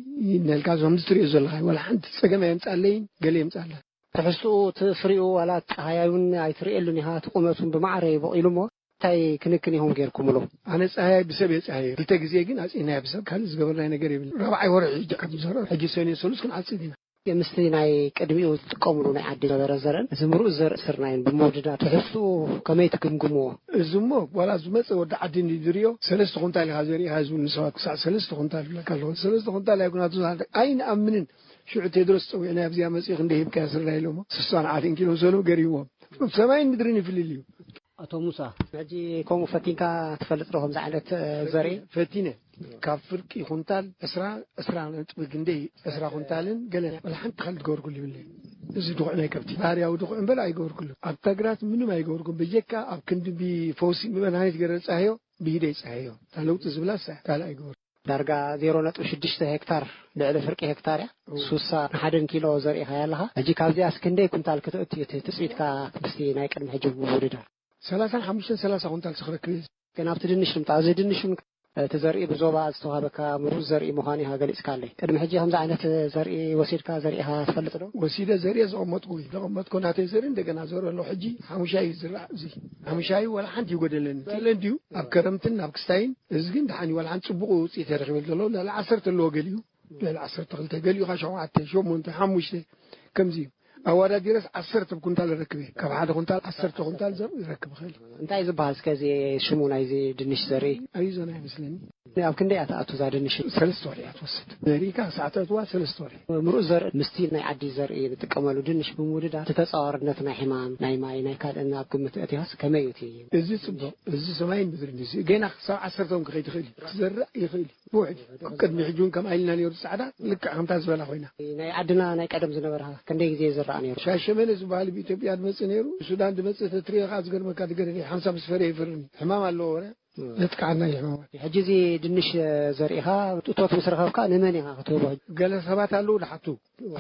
ነልካ እዞም ትሪኦ ዘለኻ ዋላ ሓንቲ ጸገም ኣየምጻለይን ገለ የምጻላ። ትሕዝትኡ እቲ ፍሪኡ ዋላ ጸሃያይ እውን ኣይትርእየሉን ኢኻ፣ እቲ ቁመት እውን ብማዕረ እዩ በቒሉ እሞ እንታይ ክንክን ኢኹም ጌርኩምሉ? ኣነ ጸሃያይ ብሰብ እየ ጸሃየ። ክልተ ግዜ ግን ኣጽኢናዮ ብሰብ፣ ካልእ ዝገበርናዮ ነገር የብልን። ራብዓይ ወርሒ ሕጂ ከም ዝዘርኦ፣ ሕጂ ሰኔ ሰሉስ ክንዓጽድ ኢና። ምስቲ ናይ ቅድሚኡ ዝጥቀምሉ ናይ ዓዲ ነበረ ዘርእን እዚ ምሩእ ዘርኢ ስርናይን ብምውድዳር ትሕዝትኡ ከመይ ትግምግምዎ? እዚ እሞ ዋላ ዝመጸ ወዲ ዓዲ እንዲ ዝርእዮ ሰለስተ ኩንታል ኢኻ ዘሪእኻ ዝብል ንሰባት ክሳዕ ሰለስተ ኩንታል ይብለካ ኣለኹ። ሰለስተ ኩንታል ኣይኩናቱ ኣይንኣምንን። ሽዑ ቴድሮስ ጸዊዕና ኣብዚኣ መጺኡ ክንደይ ሂብካዮ ስርናይ ኢሎሞ። ስሳን ዓትን ኪሎ ሰሉ ገሪዎም። ሰማይን ምድርን ይፍልል እዩ። ኣቶ ሙሳ፣ ሕጂ ከምኡ ፈቲንካ ትፈልጥ ዶ ከምዚ ዓይነት፣ እ፣ ዘርኢ? ፈቲነ። ካብ ፍርቂ ኩንታል ዕስራ፣ ዕስራ ነጥቢ ክንደይ፣ ዕስራ ኩንታልን ገለ፣ ወላ ሓንቲ ካልእ ትገብርኩሉ ይብለይ። እዚ ድኹዕ ናይ ከብቲ፣ ባህርያዊ ድኹዕ እምበር ኣይገብርኩሉ። ኣብ ተግራት ምንም ኣይገብርኩም። በጀካ ኣብ ክንዲ ብፈውሲ ብመድሃኒት ገረ ጸሃዮ፣ ብሂደ ይጸሃዮ። እታ ለውጢ ዝብላ እሳ ካልእ ኣይገብር። ዳርጋ ዜሮ ነጥቢ ሽዱሽተ ሄክታር፣ ልዕሊ ፍርቂ ሄክታር እያ። እዎ። ሱሳ ንሓደን ኪሎ ዘሪእኻ ኣለኻ። ሕጂ ካብዚኣስ ክንደይ ኩንታል ክትእቱ እዩ እቲ ትጽቢትካ ምስቲ ናይ ቅድሚ ሕጂ ምውድዳር? ሰላሳን ሓሙሽተን ሰላሳ ኩንታል ስኽረክብ እየ። ግን ኣብቲ ድንሽ ንምጣ፣ እዚ ድንሽ እውን እቲ ዘርኢ ብዞባ ዝተዋህበካ ምሩዝ ዘርኢ ምዃኑ ኢኻ ገሊጽካለይ። ቅድሚ ሕጂ ከምዚ ዓይነት ዘርኢ ወሲድካ ዘሪእኻ ትፈልጥ ዶ? ወሲደ ዘርኢ ዘቐመጥኩ እዩ። ዘቐመጥኩ ናተይ ዘርኢ እንደገና ዘርኢ ኣለዎ። ሕጂ ሓሙሻይ እዩ ዝረኣ። እዚ ሓሙሻይ ዋላ ሓንቲ ይጎደለኒ። ገለ እንድዩ ኣብ ከረምትን ኣብ ክስታይን። እዚ ግን ደሓን እዩ። ዋላ ሓንቲ ጽቡቕ ውጽኢት የረኺበሉ ዘሎ። ልዕሊ ዓሰርተ ኣለዎ ገሊኡ። ልዕሊ ዓሰርተ ክልተ፣ ገሊኡ ኸዓ ሸውዓተ፣ ሸሞንተ፣ ሓሙሽተ ከምዚ እዩ። ኣወዳዲረስ ዓሰርተ ኩንታል ይረክብ እየ። ካብ ሓደ ኩንታል ዓሰርተ ኩንታል ዘርኢ ይረክብ ይኽእል። እንታይ ዝበሃል እስከ እዚ ሽሙ ናይዚ ድንሽ ዘርኢ? ኣሪዞና ይመስለኒ። ኣብ ክንደይ እያ ትኣቱ እዛ ድንሽ? ሰለስተ ወርሒ እያ ትወስድ። ዘሪእካ ክሳዕ ተእትዋ ሰለስተ ወርሒ። ምሩእ ዘርኢ ምስቲ ናይ ዓዲ ዘርኢ ንጥቀመሉ ድንሽ ብምውድዳር እቲ ተጻዋርነት ናይ ሕማም፣ ናይ ማይ፣ ናይ ካልእን ኣብ ግምት ኣእቲኻስ ከመይ እዩ እቲ? እዚ ጽቡቕ። እዚ ሰማይን ምድርን እዩ። ገና ክሳብ ዓሰርተ እውን ክኸይድ ይኽእል እዩ። ክዘርእ ይኽእል እዩ። ብውሕድ ቅድሚ ሕጂ እውን ከምኣ ኢልና ነይሩ። ጻዕዳ ልክዕ ከምታ ዝበላ ኮይና። ናይ ዓድና ናይ ቀደም ዝነበረ ክንደይ ግዜ ይዝራእ ነይሩ? ሻሸመነ ዝበሃል ብኢትዮጵያ ዝመጽእ ነይሩ። ብሱዳን ዝመጽእ ተትሪኦ ከዓ ዝገርመካ፣ ዝገርም ሓንሳብ ምስ ፈረየ ይፈርኒ። ሕማም ኣለዎ ወረ ዘጥቅዓና እዩ ሕማማት። ሕጂ እዚ ድንሽ ዘሪእኻ እቶት ምስ ረኸብካ ንመን ኢኻ ክትህቦ? ገለ ሰባት ኣለዉ ዝሓቱ፣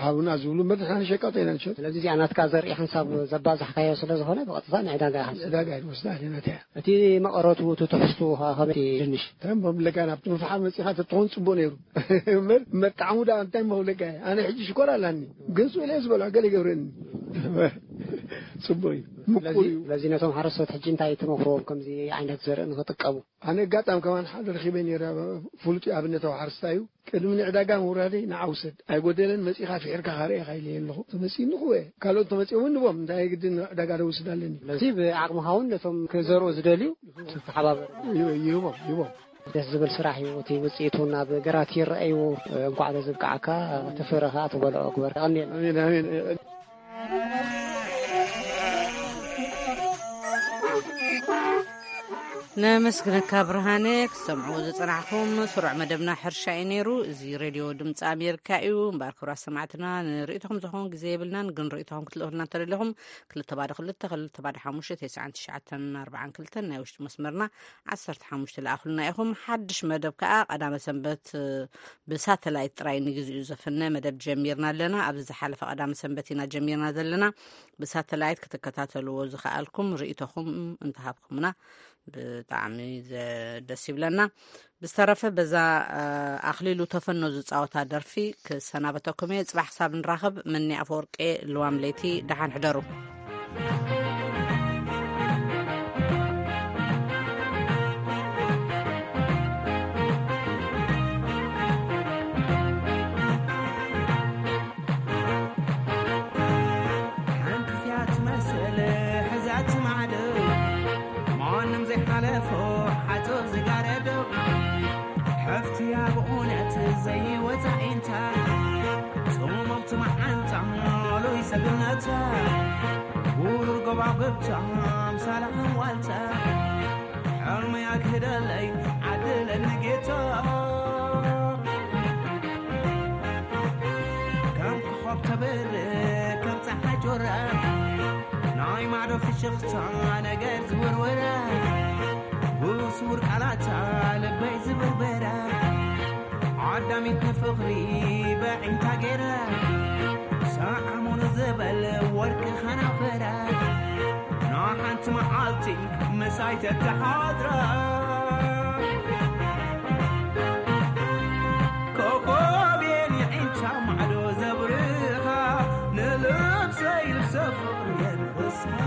ሃቡና ዝብሉ እምበር ንሕና ንሸቃጦ ኢና ንሸጥ። ስለዚ እዚኣ ናትካ ዘርኢ ሓንሳብ ዘባዛሕካዮ ስለ ዝኾነ ብቐጥታ ንዕዳጋ ኢኻ ትሰዶ። ዕዳጋ እየ ዝወስዳ እኔ ናተይ እያ። እቲ መቐረቱ፣ እቲ ትሕዝቱ ኸ ከመይ ድንሽ? እንታይ እሞ ብለካ፣ ናብቲ ምፍሓር መጺኻ ተትኾን ጽቡቕ ነይሩ። እምበር፣ እምበር ጣዕሙ ደኣ እንታይ እሞ ክብለካ እየ። ኣነ ሕጂ ሽኮር ኣላኒ፣ ግን ስእለ ዝበልዖ ገለ ይገብረኒ። ጽቡቕ እዩ፣ ምቁር ስለዚ፣ እዩ። ስለዚ ነቶም ሓረስቶት ሕጂ እንታይ ትመኽርዎም ከምዚ ዓይነት ዘርኢ ንኽጥቀሙ? ኣነ ኣጋጣሚ ከማን ሓደ ረኺበ ነይረ፣ ፍሉጥ ኣብነታዊ ሓረስታይ እዩ። ቅድሚ ንዕዳጋ ምውራደይ ንዓ ውሰድ፣ ኣይጎደለን፣ መጺኻ ፍሒርካ ካርእየኻ ኢለየ ኣለኹ። ተመጺኡ ንኽወ ካልኦት ተመጺኦም ንቦም፣ እንታይ ግድን ዕዳጋ ዶ ውስድ ኣለኒ። ስለዚ ብዓቕምኻ እውን ነቶም ክዘርኡ ዝደልዩ ትተሓባበር። ይህ- ይህቦም፣ ይህቦም። ደስ ዝብል ስራሕ እዩ። እቲ ውፅኢቱ ናብ ግራት ይረኣዩ። እንኳዕ ለዝብቃዓካ፣ እቲ ፍረ ከዓ ትበልዖ ግበር። የቐንየልና። ኣሜን፣ ኣሜን። ነመስግነካ ብርሃነ። ክትሰምዕዎ ዝጸናሕኩም ስሩዕ መደብና ሕርሻ እዩ ነይሩ። እዚ ሬድዮ ድምፂ ኣሜሪካ እዩ። እምበኣር ክቡራት ሰማዕትና፣ ንርእይቶኹም ዝኸውን ግዜ የብልናን፣ ግን ርእይቶኹም ክትልእኹልና እንተደለኹም ክልተ ባዶ ክልተ ክልተ ባዶ ሓሙሽተ ተስዓን ትሽዓተን ኣርባዓን ክልተን ናይ ውሽጢ መስመርና ዓሰርተ ሓሙሽተ ለኣኹልና ኢኹም። ሓድሽ መደብ ከኣ ቀዳመ ሰንበት ብሳተላይት ጥራይ ንግዚኡ ዘፍነ መደብ ጀሚርና ኣለና። ኣብዚ ዝሓለፈ ቀዳመ ሰንበት ኢና ጀሚርና ዘለና። ብሳተላይት ክትከታተልዎ ዝኸኣልኩም ርእይቶኹም እንተሃብኩምና ብጣዕሚ ዘ-፣ ደስ ይብለና። ብዝተረፈ በዛ፣ እ፣ ኣኽሊሉ ተፈኖ ዝጻወታ ደርፊ ክሰናበተኩም እየ። ጽባሕ ክሳብ ንራኸብ፣ መኒ ኣፈወርቄ፣ ልዋም ለይቲ፣ ደሓን ሕደሩ። ሓንቲ እያ ትመስል ሕዛት ማዕዶ፣ ማንም ዘይሓለፎ ሓጹር ዝጋረዶ። ሓፍትያ ብእውነት ዘይወጻ ኢንታ፣ ጽምምቲ መዓንጣ ሉይ ሰግነታ፣ ውሩር ጎባጉብታ ኣምሳላ ዋልታ፣ ሕልሚ ኣግህደለይ ዓድለኒ ጌታ። ከም ኮኾብ ተበርህ ከም ጸሓይ ጆራ፣ ናይ ማዕዶ ፍሽኽታ ነገር ዝውርወራ፣ ብስውር ቃላታ ልበይ ዝብርበራ፣ ዓዳሚት ንፍቕሪ በዒንታ ገይራ፣ ሰዓሙን ዝበል ወርቂ ኸናፈራ፣ ንሓንቲ መዓልቲ ምሳይ ተተሓድራ። ኮኾብ የን የዒንታ ማዕዶ ዘብርኻ፣ ንልብሰይ ሰፍቕር የንርስካ